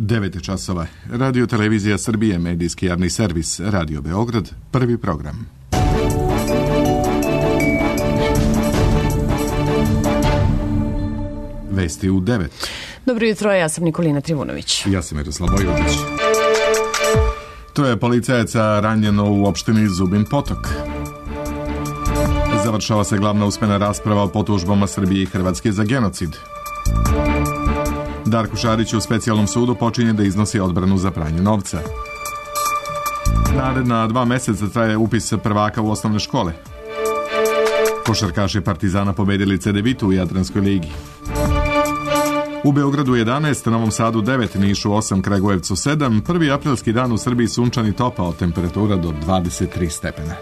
9 časova. Radio Televizija Srbije, medijski javni servis, Radio Beograd, prvi program. Vesti u 9. Dobro jutro, ja sam Nikolina Trivunović. Ja sam Miroslav Vojvodić. Troje policajaca ranjeno u opštini Zubin Potok. Završava se glavna usmena rasprava o potužbama Srbije i Hrvatske za genocid. Darko Šarić u specijalnom sudu počinje da iznosi odbranu za pranje novca. Naredna 2 meseca traje upis prvaka u osnovne škole. Košarkaši Partizana pobedili CDVitu u Jadranskoj ligi. U Beogradu 11, Novom Sadu 9, Nišu 8, Kragujevcu 7, 1. aprilski dan u Srbiji sunčan i topao, temperatura do 23 stepena.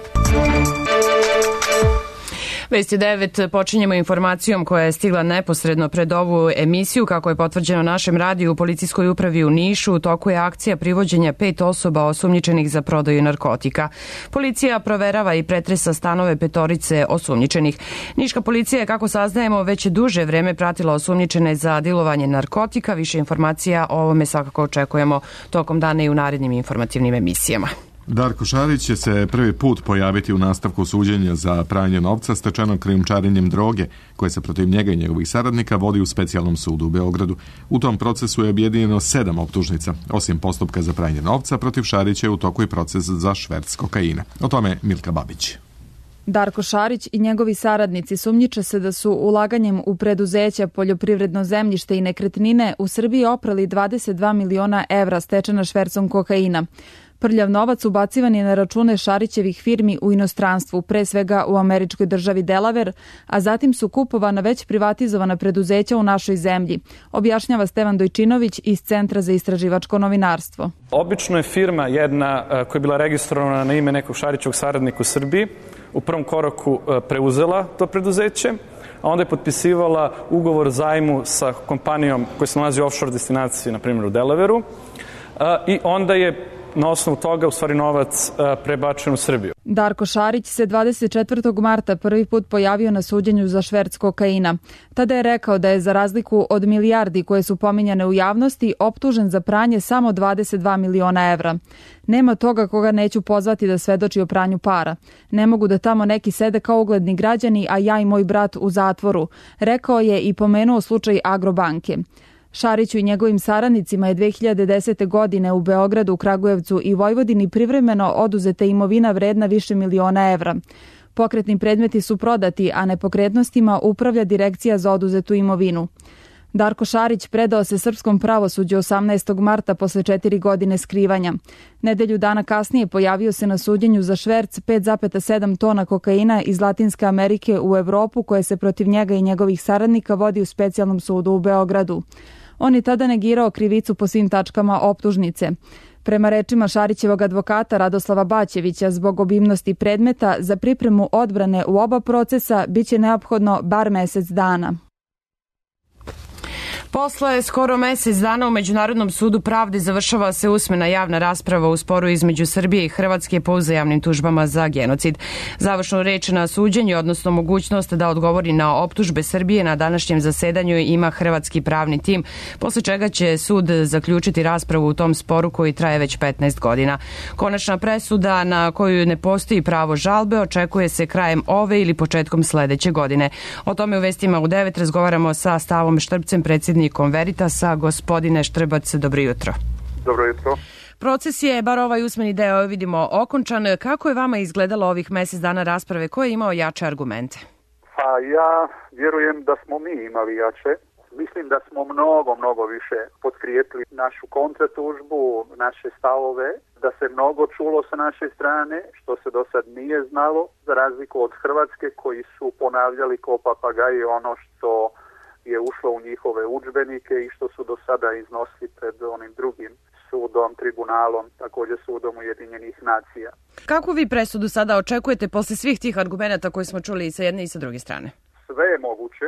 Vesti 9 počinjemo informacijom koja je stigla neposredno pred ovu emisiju. Kako je potvrđeno našem radiju, u policijskoj upravi u Nišu u toku je akcija privođenja 5 osoba osumnjičenih za prodaju narkotika. Policija proverava i pretresa stanove 5 osumnjičenih. Niška policija je, kako saznajemo, već duže vreme pratila osumnjičene za dilovanje narkotika. Više informacija o ovome svakako očekujemo tokom dana i u narednim informativnim emisijama. Darko Šarić će se prvi put pojaviti u nastavku suđenja za pranje novca stečenog krijumčarenjem droge, koje se protiv njega i njegovih saradnika vodi u specijalnom sudu u Beogradu. U tom procesu je objedinjeno 7 optužnica. Osim postupka za pranje novca, protiv Šarića je u toku i proces za šverc kokaina. O tome Milka Babić. Darko Šarić i njegovi saradnici sumnjiče se da su ulaganjem u preduzeća, poljoprivredno zemljište i nekretnine u Srbiji oprali 22 miliona evra stečena švercom kokaina. Prljav novac ubacivan je na račune Šarićevih firmi u inostranstvu, pre svega u američkoj državi Delaware, a zatim su kupovana već privatizovana preduzeća u našoj zemlji, objašnjava Stevan Dojčinović iz Centra za istraživačko novinarstvo. Obično je firma jedna koja je bila registrovana na ime nekog Šarićevog saradnika u Srbiji, u prvom koraku preuzela to preduzeće, a onda je potpisivala ugovor zajmu sa kompanijom koja se nalazi u offshore destinaciji, na primjer u Delavereu, i onda je na osnovu toga u stvari novac prebačen u Srbiju. Darko Šarić se 24. marta prvi put pojavio na suđenju za šverc kokaina. Tada je rekao da je za razliku od milijardi koje su pominjane u javnosti optužen za pranje samo 22 miliona evra. Nema toga koga neću pozvati da svedoči o pranju para. Ne mogu da tamo neki sede kao ugledni građani, a ja i moj brat u zatvoru, rekao je i pomenuo slučaj Agrobanke. Šariću i njegovim saradnicima je 2010. godine u Beogradu, Kragujevcu i Vojvodini privremeno oduzeta imovina vredna više miliona evra. Pokretni predmeti su prodati, a nepokretnostima upravlja Direkcija za oduzetu imovinu. Darko Šarić predao se srpskom pravosuđu 18. marta posle 4 godine skrivanja. Nedelju dana kasnije pojavio se na suđenju za šverc 5,7 tona kokaina iz Latinske Amerike u Evropu, koje se protiv njega i njegovih saradnika vodi u specijalnom sudu u Beogradu. On je tada negirao krivicu po svim tačkama optužnice. Prema rečima Šarićevog advokata Radoslava Baćevića, zbog obimnosti predmeta za pripremu odbrane u oba procesa biće neophodno bar mesec dana. Posle skoro mesec dana u Međunarodnom sudu pravde završava se usmena javna rasprava u sporu između Srbije i Hrvatske po uzajamnim tužbama za genocid. Završnu reč na suđenju, odnosno mogućnost da odgovori na optužbe Srbije na današnjem zasedanju ima hrvatski pravni tim, posle čega će sud zaključiti raspravu u tom sporu koji traje već 15 godina. Konačna presuda na koju ne postoji pravo žalbe očekuje se krajem ove ili početkom sledeće godine. O tome u vestima u 9 razgovaramo sa Stavom Štrpcem, predsjednikom Veritasa. Gospodine Štrbac, dobro jutro. Dobro jutro. Proces je, bar ovaj usmeni deo vidimo, okončan. Kako je vama izgledalo ovih mesec dana rasprave? Ko je imao jače argumente? Pa ja vjerujem da smo mi imali jače. Mislim da smo mnogo više potkrijepili našu kontratužbu, naše stavove, da se mnogo čulo sa naše strane, što se do sad nije znalo, za razliku od Hrvatske koji su ponavljali kao papagaji ono što je ušlo u njihove udžbenike i što su do sada iznosili pred onim drugim sudom, tribunalom, također sudom Ujedinjenih nacija. Kako vi presudu sada očekujete posle svih tih argumenta koje smo čuli i sa jedne i sa druge strane? Sve je moguće.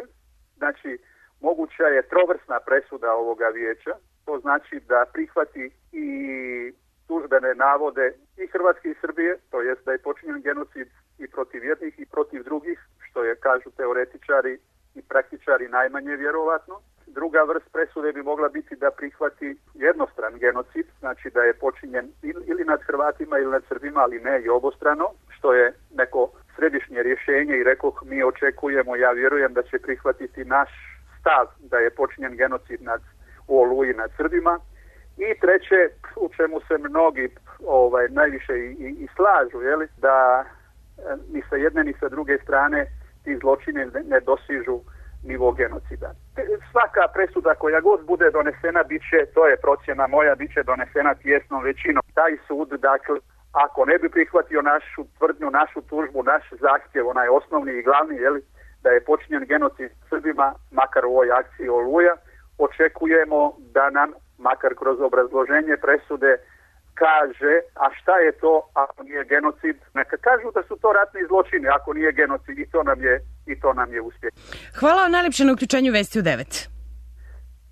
Znači, moguća je trovrsna presuda ovoga vijeća. To znači da prihvati i tužbene navode i Hrvatske i Srbije, to jest da je počinjen genocid i protiv jednih i protiv drugih, što je, kažu teoretičari i praktičari, najmanje vjerovatno. Druga vrst presude bi mogla biti da prihvati jednostran genocid, znači da je počinjen ili nad Hrvatima ili nad Srbima, ali ne i obostrano, što je neko središnje rješenje i rekoh mi očekujemo, ja vjerujem da će prihvatiti naš stav da je počinjen genocid u Oluji nad Srbima. I treće, u čemu se mnogi najviše i slažu, jeli, da ni sa jedne ni sa druge strane ti zločine ne dosižu nivo genocida. Svaka presuda koja god bude donesena to je procjena moja, bit će donesena tijesnom većinom. Taj sud, dakle, ako ne bi prihvatio našu tvrdnju, našu tužbu, naš zahtjev, onaj osnovni i glavni, jeli, da je počinjen genocid Srbima, makar u ovoj akciji Oluja, očekujemo da nam, makar kroz obrazloženje presude, kaže, a šta je to ako nije genocid? Neka kažu da su to ratni zločini ako nije genocid i to nam je uspjeh. Hvala vam najljepše na uključenju Vesti u 9.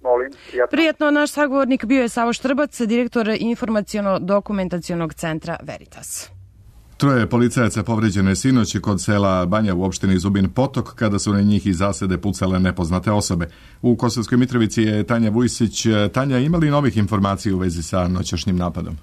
Molim, prijatno. Prijetno, naš sagovornik bio je Savo Štrbac, direktor informaciono-dokumentacionog centra Veritas. Troje policajaca povređeno je sinoć kod sela Banja u opštini Zubin Potok kada su na njih iz zasede pucale nepoznate osobe. U Kosovskoj Mitrovici je Tanja Vujsić. Tanja, ima li novih informacija u vezi sa noćašnjim napadom?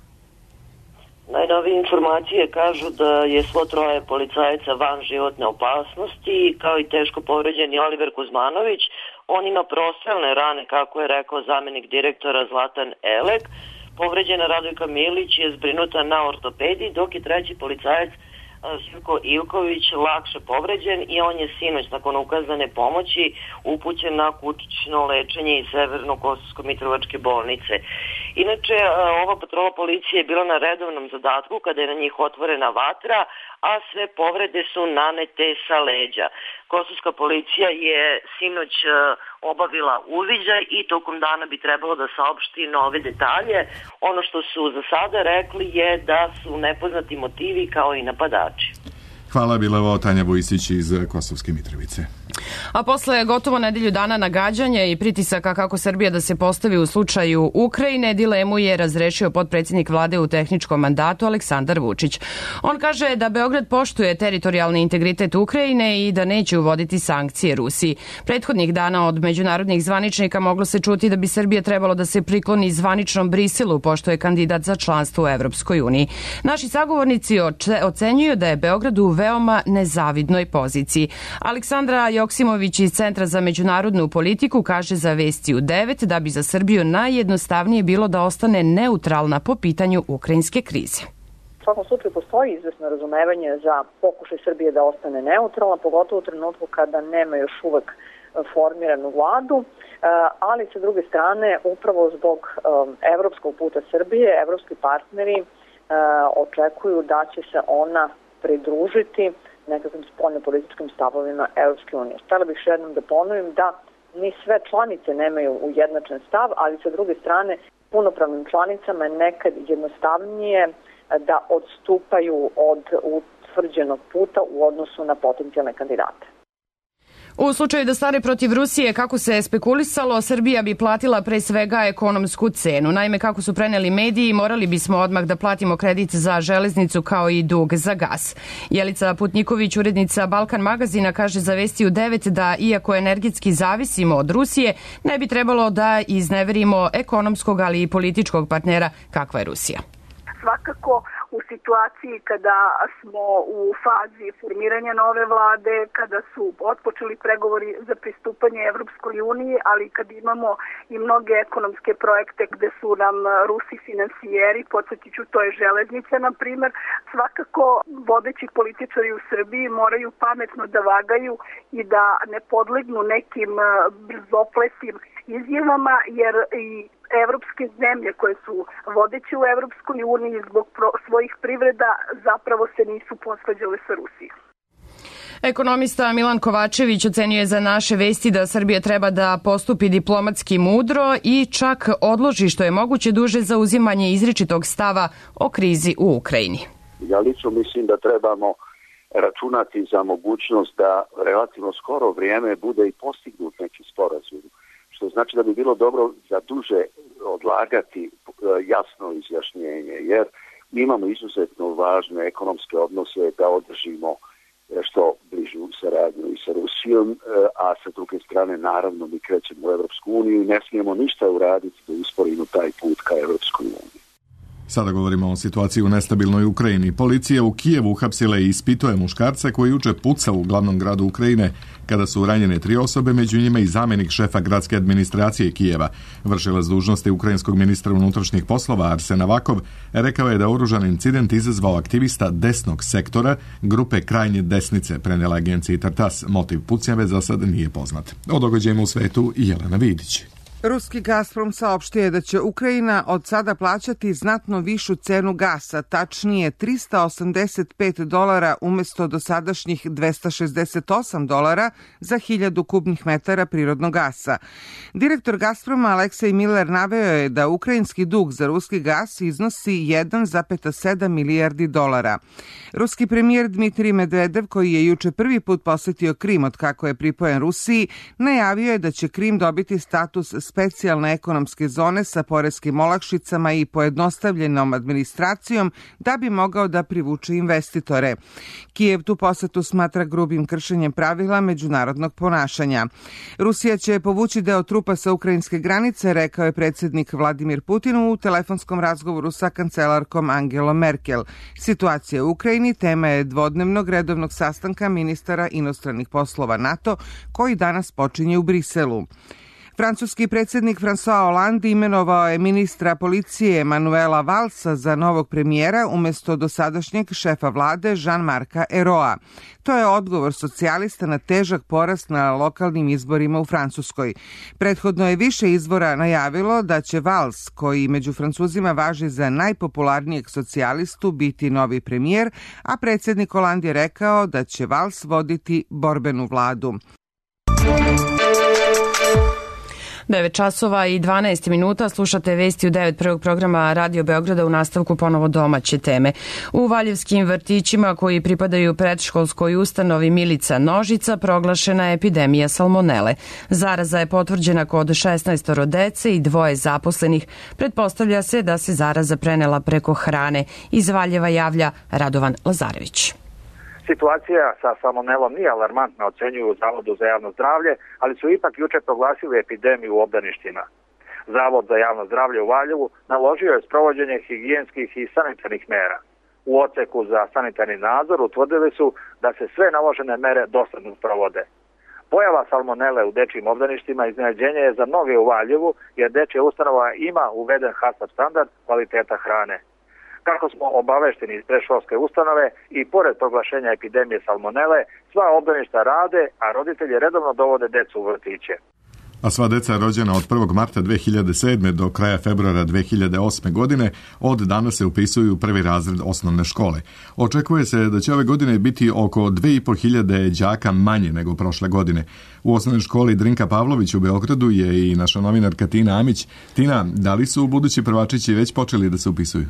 Najnovije informacije kažu da je svo troje policajaca van životne opasnosti, kao i teško povređeni Oliver Kuzmanović. On ima prostrelne rane, kako je rekao zamenik direktora Zlatan Elek. Povređena Radojka Milić je zbrinuta na ortopediji, dok je treći policajac Živko Ivković lakše povređen i on je sinoć nakon ukazane pomoći upućen na kućno lečenje iz Severno-Kosovsko-Mitrovačke bolnice. Inače, ova patrola policije je bila na redovnom zadatku kada je na njih otvorena vatra, a sve povrede su nanete sa leđa. Kosovska policija je sinoć obavila uviđaj i tokom dana bi trebalo da saopšti nove detalje. Ono što su za sada rekli je da su nepoznati motivi kao i napadači. Hvala, bila ovo Tanja Vujsić iz Kosovske Mitrovice. A posle gotovo nedelju dana nagađanja i pritisaka kako Srbija da se postavi u slučaju Ukrajine, dilemu je razrešio potpredsjednik vlade u tehničkom mandatu Aleksandar Vučić. On kaže da Beograd poštuje teritorijalni integritet Ukrajine i da neće uvoditi sankcije Rusiji. Prethodnih dana od međunarodnih zvaničnika moglo se čuti da bi Srbija trebalo da se prikloni zvaničnom Briselu, pošto je kandidat za članstvo u Evropskoj uniji. Naši sagovornici ocenjuju da je Beograd u veoma nezavidnoj poziciji. Aleksandra Joksimović iz Centra za međunarodnu politiku kaže za Vesti u 9 da bi za Srbiju najjednostavnije bilo da ostane neutralna po pitanju ukrajinske krize. U svakom slučaju postoji izvesno razumevanje za pokušaj Srbije da ostane neutralna, pogotovo u trenutku kada nema još uvek formiranu vladu, ali sa druge strane upravo zbog evropskog puta Srbije, evropski partneri očekuju da će se ona pridružiti nekakvim spoljnopolitičkim stavovima Europske unije. Htjela bih još jednom da ponovim da ni sve članice nemaju ujednačen stav, ali sa druge strane punopravnim članicama je nekad jednostavnije da odstupaju od utvrđenog puta u odnosu na potencijalne kandidate. U slučaju da stane protiv Rusije, kako se spekulisalo, Srbija bi platila pre svega ekonomsku cenu. Naime, kako su preneli mediji, morali bismo odmah da platimo kredit za železnicu kao i dug za gas. Jelica Putniković, urednica Balkan magazina, kaže za Vesti u 9 da iako energetski zavisimo od Rusije, ne bi trebalo da izneverimo ekonomskog, ali i političkog partnera kakva je Rusija. Svakako u situaciji kada smo u fazi formiranja nove vlade, kada su otpočeli pregovori za pristupanje Evropskoj uniji, ali kad imamo i mnoge ekonomske projekte gde su nam Rusi finansijeri, podsjetit ću, to je železnica, na primer, svakako vodeći političari u Srbiji moraju pametno da vagaju i da ne podlegnu nekim brzopletim izjavama, jer i evropske zemlje koje su vodeće u Evropskoj uniji zbog svojih privreda zapravo se nisu posvađale sa Rusijom. Ekonomista Milan Kovačević ocenjuje za naše Vesti da Srbija treba da postupi diplomatski mudro i čak odloži što je moguće duže za uzimanje izričitog stava o krizi u Ukrajini. Ja lično mislim da trebamo računati za mogućnost da relativno skoro vrijeme bude i postignut neki sporazum, što znači da bi bilo dobro za duže odlagati jasno izjašnjenje, jer mi imamo izuzetno važne ekonomske odnose da održimo što bližu saradnju i sa Rusijom, a sa druge strane naravno mi krećemo u Evropsku uniju i ne smijemo ništa uraditi da usporimo taj put ka Evropskoj uniji. Sada govorimo o situaciji u nestabilnoj Ukrajini. Policija u Kijevu uhapsila i ispituje muškarca koji juče pucao u glavnom gradu Ukrajine kada su ranjene 3 osobe, među njima i zamjenik šefa gradske administracije Kijeva. Vršilac dužnosti ukrajinskog ministra unutrašnjih poslova Arsen Avakov rekao je da oružan incident izazvao aktivista desnog sektora grupe krajnje desnice, prenijela agenciji Tartas. Motiv pucnjave za sad nije poznat. O događajima u svetu Jelena Vidić. Ruski Gazprom saopštio je da će Ukrajina od sada plaćati znatno višu cenu gasa, tačnije $385 umjesto dosadašnjih $268 za 1000 kubnih metara prirodnog gasa. Direktor Gazproma Aleksej Miller naveo je da ukrajinski dug za ruski gas iznosi $1,7 milijardi. Ruski premijer Dmitrij Medvedev, koji je juče prvi put posjetio Krim od kako je pripojen Rusiji, najavio je da će Krim dobiti status specijalne ekonomske zone sa poreskim olakšicama i pojednostavljenom administracijom da bi mogao da privuče investitore. Kijev tu posetu smatra grubim kršenjem pravila međunarodnog ponašanja. Rusija će povući deo trupa sa ukrajinske granice, rekao je predsjednik Vladimir Putin u telefonskom razgovoru sa kancelarkom Angelom Merkel. Situacija u Ukrajini tema je dvodnevnog redovnog sastanka ministara inostranih poslova NATO koji danas počinje u Briselu. Francuski predsjednik François Hollande imenovao je ministra policije Manuela Valsa za novog premijera umjesto dosadašnjeg šefa vlade Jean-Marca Ayraulta. To je odgovor socijalista na težak porast na lokalnim izborima u Francuskoj. Prethodno je više izvora najavilo da će Valls, koji među Francuzima važi za najpopularnijeg socijalistu, biti novi premijer, a predsjednik Hollande je rekao da će Valls voditi borbenu vladu. 9 časova i 12 minuta, slušate vesti u 9 prvog programa Radio Beograda, u nastavku ponovo domaće teme. U valjevskim vrtićima koji pripadaju predškolskoj ustanovi Milica Nožica proglašena je epidemija salmonele. Zaraza je potvrđena kod 16 dece i 2 zaposlenih. Pretpostavlja se da se zaraza prenela preko hrane. Iz Valjeva javlja Radovan Lazarević. Situacija sa salmonelom nije alarmantna, ocenjuju u Zavodu za javno zdravlje, ali su ipak juče proglasili epidemiju u obdaništima. Zavod za javno zdravlje u Valjevu naložio je sprovođenje higijenskih i sanitarnih mera. U odseku za sanitarni nadzor utvrdili su da se sve naložene mere dosledno sprovode. Pojava salmonele u dečjim obdaništima iznenađenje je za mnoge u Valjevu, jer dečja ustanova ima uveden HACCP standard kvaliteta hrane. Kako smo obavešteni iz predškolske ustanove i pored proglašenja epidemije salmonele, sva obdaništa rade, a roditelji redovno dovode decu u vrtiće. A sva deca rođena od 1. marta 2007. do kraja februara 2008. godine od danas se upisuju u prvi razred osnovne škole. Očekuje se da će ove godine biti oko 2500 đaka manje nego prošle godine. U osnovnoj školi Drinka Pavlović u Beogradu je i naša novinarka Tina Amić. Tina, da li su budući prvačići već počeli da se upisuju?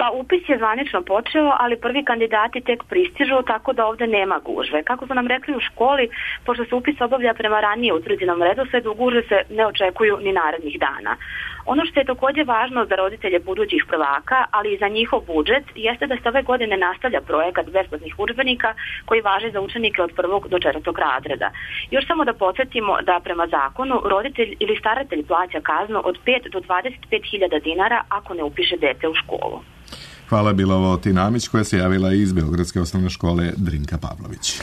Pa upis je zvanično počeo, ali prvi kandidati tek pristižu, tako da ovde nema gužve. Kako su nam rekli u školi, pošto se upis obavlja prema ranije utvrđenom redosledu, gužve se ne očekuju ni narednih dana. Ono što je također važno za roditelje budućih prvaka, ali i za njihov budžet, jeste da se ove godine nastavlja projekat besplatnih udžbenika koji važi za učenike od 1. do 4. razreda. Još samo da podsjetimo da prema zakonu roditelj ili staratelj plaća kaznu od 5 do 25.000 dinara ako ne upiše dete u školu. Hvala, bila ovo Tina Amić koja se javila iz Beogradske osnovne škole Drinka Pavlović.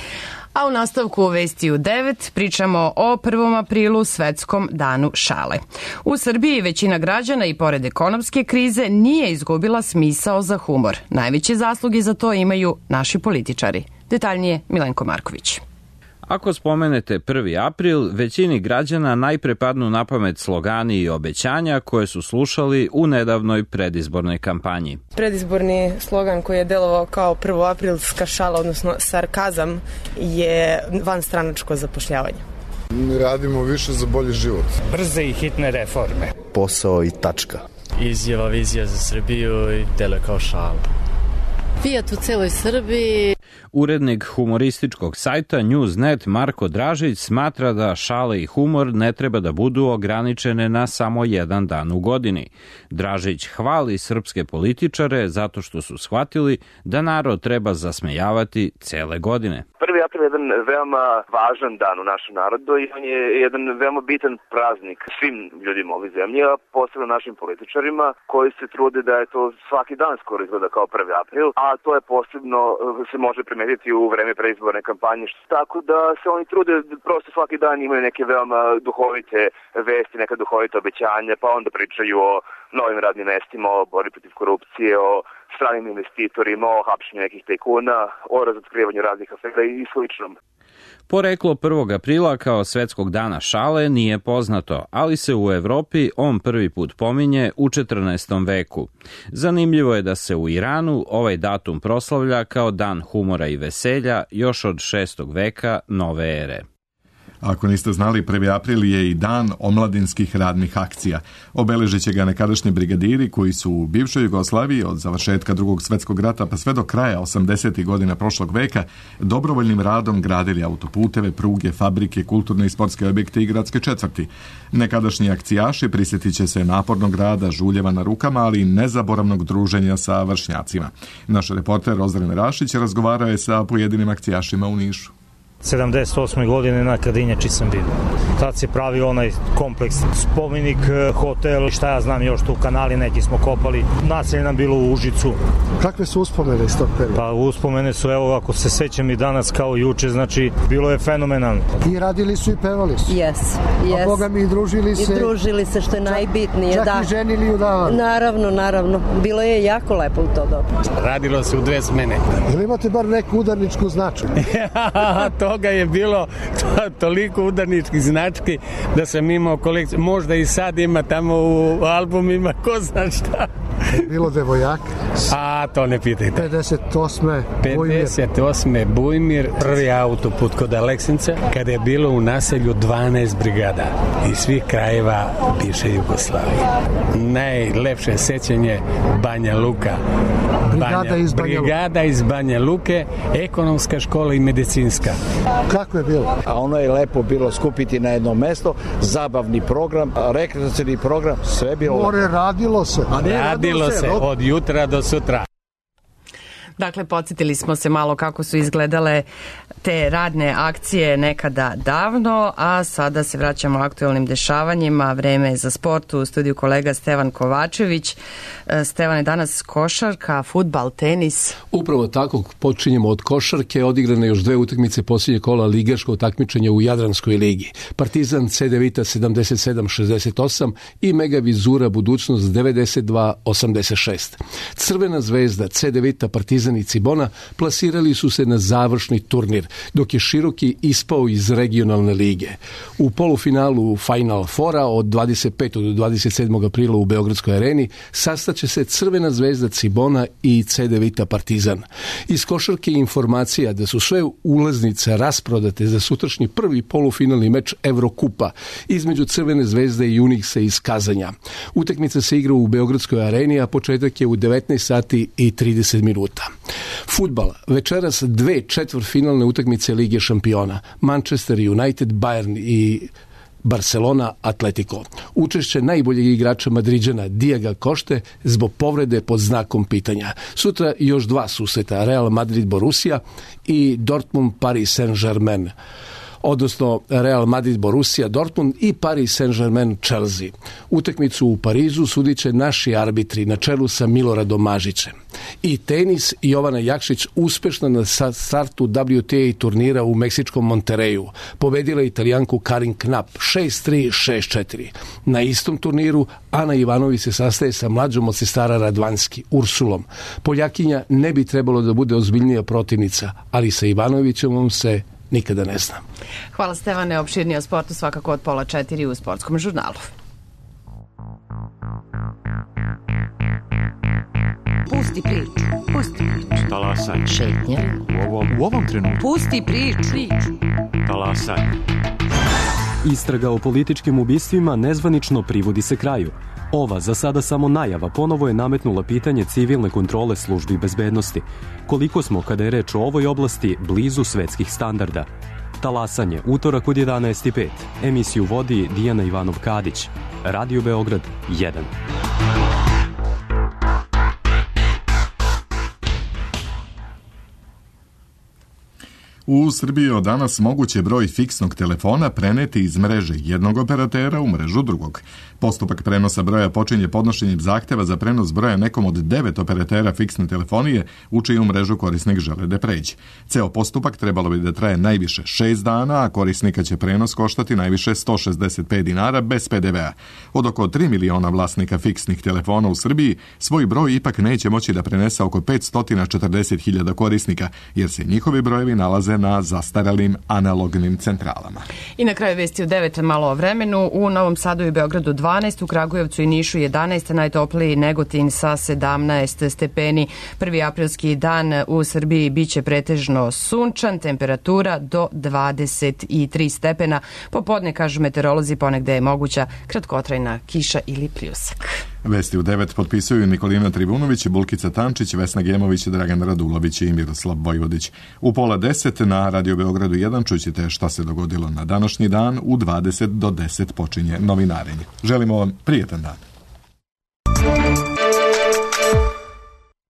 A u nastavku vesti u 9 pričamo o 1. aprilu, svetskom danu šale. U Srbiji većina građana i pored ekonomske krize nije izgubila smisao za humor. Najveće zasluge za to imaju naši političari. Detaljnije Milenko Marković. Ako spomenete 1. april, većini građana najpre padnu na pamet slogani i obećanja koje su slušali u nedavnoj predizbornoj kampanji. Predizborni slogan koji je delovao kao 1. aprilska šala, odnosno sarkazam, je vanstranačko zapošljavanje. Radimo više za bolji život. Brze i hitne reforme. Posao i tačka. Izjava, vizija za Srbiju i deluje kao šala. Fiat u celoj Srbiji. Urednik humorističkog sajta Newsnet Marko Dražić smatra da šale i humor ne treba da budu ograničene na samo jedan dan u godini. Dražić hvali srpske političare zato što su shvatili da narod treba zasmejavati cele godine. 1. april je jedan veoma važan dan u našem narodu i on je jedan veoma bitan praznik svim ljudima ove zemlje, a posebno našim političarima koji se trude da je to svaki dan skoro izgleda kao 1. april, a to je posebno se može primetiti u vreme preizborne kampanje. Tako da se oni trude, prosto svaki dan imaju neke veoma duhovite vesti, neka duhovita obećanja, pa onda pričaju o novim radnim mestima, o borbi protiv korupcije, o stranim investitorima, o hapšenju nekih tajkuna, o razotkrivanju raznih afera i sličnom. Poreklo 1. aprila kao svetskog dana šale nije poznato, ali se u Evropi on prvi put pominje u 14. veku. Zanimljivo je da se u Iranu ovaj datum proslavlja kao dan humora i veselja još od 6. veka nove ere. Ako niste znali, 1. april je i dan omladinskih radnih akcija. Obeležit će ga nekadašnji brigadiri koji su u bivšoj Jugoslaviji od završetka Drugog svjetskog rata pa sve do kraja 80. godina prošlog veka dobrovoljnim radom gradili autoputeve, pruge, fabrike, kulturne i sportske objekte i gradske četvrti. Nekadašnji akcijaši prisjetit će se napornog rada, žuljeva na rukama, ali i nezaboravnog druženja sa vršnjacima. Naš reporter Ozren Rašić razgovarao je sa pojedinim akcijašima u Nišu. 78. godine na Kadinjači sam bio. Tad se pravi onaj kompleks, spomenik, hotel, šta ja znam još tu, kanali neki smo kopali. Naselje nam bilo u Užicu. Kakve su uspomene iz tog perioda? Pa uspomene su, evo, ako se sećam i danas kao juče, znači bilo je fenomenalno. I radili su i pevali su. Yes. A Boga mi i družili se. I družili se, što je najbitnije. Čak i ženili udavali. Naravno. Bilo je jako lepo u to dobu. Radilo se u 2 smene. Ili imate bar neku udarničku značku? Toga je bilo toliko udarničkih znački da sam imao kolekciju. Možda i sad ima tamo u albumima, ko zna šta. Bilo devojaka? A, to ne pitajte. 58. Bujmir, prvi autoput kod Aleksinca, kada je bilo u naselju 12 brigada iz svih krajeva bivše Jugoslavije. Najlepše sećanje Banja Luka. Brigada iz Banja Luke, ekonomska škola i medicinska. Kako je bilo? A ono je lepo bilo skupiti na jedno mesto, zabavni program, rekreacioni program, sve je bilo. Radilo se. Radilo se od jutra do sutra. Dakle, podsjetili smo se malo kako su izgledale te radne akcije nekada davno, a sada se vraćamo aktuelnim dešavanjima. Vreme je za sport, u studiju kolega Stevan Kovačević. Stevan, je danas košarka, fudbal, tenis? Upravo tako, počinjemo od košarke, odigrane još 2 utakmice posljednje kola ligaškog takmičenja u Jadranskoj ligi. Partizan C9 77-68 i Mega Vizura Budućnost 92-86. Crvena zvezda C9 Partizan i Cibona plasirali su se na završni turnir, dok je Široki ispao iz regionalne lige. U polufinalu Final Fora od 25. do 27. aprila u Beogradskoj areni sastaće se Crvena zvezda Cibona i C9 Partizan. Iz košarke informacija da su sve ulaznice rasprodate za sutrašnji prvi polufinalni meč Evrokupa između Crvene zvezde i Unixa iz Kazanja. Utakmica se igra u Beogradskoj areni, a početak je u 19 sati i 30 minuta. Fudbal. Večeras 2 četvrtfinalne utakmice Lige šampiona. Manchester United, Bayern i Barcelona, Atletico. Učešće najboljeg igrača Madriđana Diaga Košte zbog povrede pod znakom pitanja. Sutra još 2 susreta, Real Madrid Borussia i Dortmund Paris Saint-Germain, odnosno Real Madrid Borussia Dortmund i Paris Saint-Germain Chelsea. Utakmicu u Parizu sudit će naši arbitri na čelu sa Miloradom Mažićem. I tenis, Jovana Jakšić uspešna na startu WTA turnira u meksičkom Monterreju. Pobedila Italijanku Karin Knapp 6-3, 6-4. Na istom turniru Ana Ivanović se sastaje sa mlađom od sestara Radvanski, Ursulom. Poljakinja ne bi trebalo da bude ozbiljnija protivnica, ali sa Ivanovićem se nikada ne zna. Hvala Stevane, opširnije o sportu svakako od 3:30 u Sportskom žurnalu. Pusti priču. Talasaj. Šetnja. U ovom trenutku. Pusti priču. Talasaj. Istraga o političkim ubistvima nezvanično privodi se kraju. Ova, za sada samo najava, ponovo je nametnula pitanje civilne kontrole službi bezbednosti. Koliko smo, kada je reč o ovoj oblasti, blizu svetskih standarda? Talasanje, utorak od 11:05. Emisiju vodi Dijana Ivanov-Kadić. Radio Beograd 1. U Srbiji od danas moguće broj fiksnog telefona preneti iz mreže jednog operatera u mrežu drugog. Postupak prenosa broja počinje podnošenjem zahteva za prenos broja nekom od 9 operatera fiksne telefonije u čiju mrežu korisnik žele da pređe. Ceo postupak trebalo bi da traje najviše 6 dana, a korisnika će prenos koštati najviše 165 dinara bez PDV-a. Od oko 3 miliona vlasnika fiksnih telefona u Srbiji, svoj broj ipak neće moći da prenese oko 540.000 korisnika, jer se njihovi brojevi nalaze na zastaralim analognim centralama. I na kraju vesti u 9 malo o vremenu. U Novom Sadu i Beogradu 12, u Kragujevcu i Nišu 11, najtopliji Negotin sa 17 stepeni. 1. aprilski dan u Srbiji biće pretežno sunčan, temperatura do 23 stepena. Popodne, kažu meteorolozi, ponegde je moguća kratkotrajna kiša ili pljusak. Vesti u 9 potpisuju Nikolina Tribunović, Bulkica Tančić, Vesna Gemović, Dragan Radulović i Miroslav Vojvodić. U 9:30 na Radio Beogradu 1 čućete šta se dogodilo na današnji dan. U 20 do 10 počinje novinarenje. Želimo vam prijetan dan.